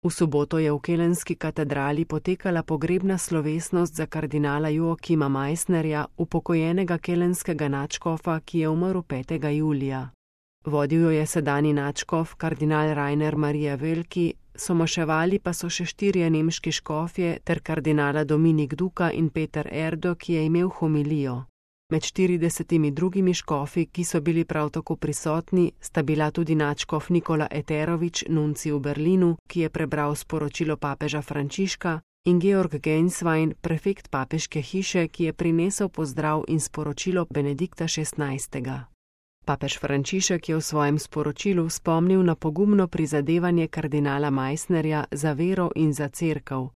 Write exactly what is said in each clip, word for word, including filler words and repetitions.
V soboto je v kelenski katedrali potekala pogrebna slovesnost za kardinala Joakima Meissnerja, upokojenega kelenskega nadškofa, ki je umrl petega julija. Vodil jo je sedanji nadškof, kardinal Rainer Maria Wölki, somaševali pa so še štirje nemški škofje ter kardinala Dominik Duka in Peter Erdo, ki je imel homilijo. Med štiridesetimi drugimi škofi, ki so bili prav tako prisotni, sta bila tudi nadškof Nikola Eterovič, nuncij v Berlinu, ki je prebral sporočilo papeža Frančiška, in Georg Genswein, prefekt papeške hiše, ki je prinesel pozdrav in sporočilo Benedikta šestnajstega. Papež Frančišek je v svojem sporočilu spomnil na pogumno prizadevanje kardinala Meissnerja za vero in za cerkev.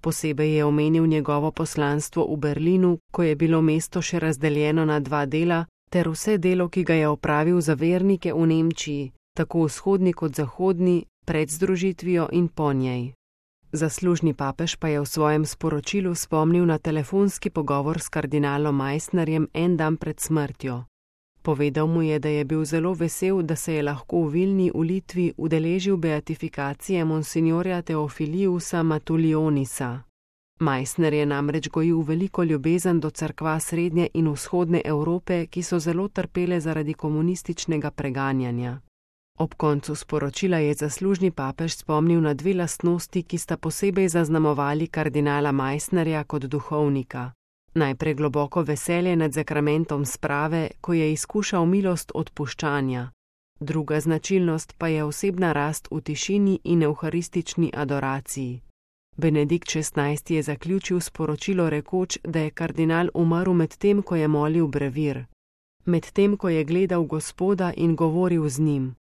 Posebej je omenil njegovo poslanstvo v Berlinu, ko je bilo mesto še razdeljeno na dva dela, ter vse delo, ki ga je opravil za vernike v Nemčiji, tako vzhodni kot zahodni, pred združitvijo in po njej. Zaslužni papež pa je v svojem sporočilu spomnil na telefonski pogovor s kardinalom Meissnerjem en dan pred smrtjo. Povedal mu je, da je bil zelo vesel, da se je lahko v Vilni v Litvi udeležil beatifikacije monsignorja Teofiliusa Matulionisa. Meissner je namreč gojil veliko ljubezen do cerkva srednje in vzhodne Evrope, ki so zelo trpele zaradi komunističnega preganjanja. Ob koncu sporočila je zaslužni papež spomnil na dve lastnosti, ki sta posebej zaznamovali kardinala Meissnerja kot duhovnika. Najprej globoko veselje nad zakramentom sprave, ko je izkušal milost odpuščanja. Druga značilnost pa je osebna rast v tišini in evharistični adoraciji. Benedikt šestnajsti je zaključil sporočilo rekoč, da je kardinal umrl med tem, ko je molil brevir, med tem, ko je gledal Gospoda in govoril z njim.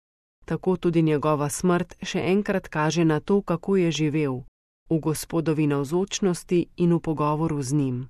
Tako tudi njegova smrt še enkrat kaže na to, kako je živel, v Gospodovi navzočnosti in v pogovoru z njim.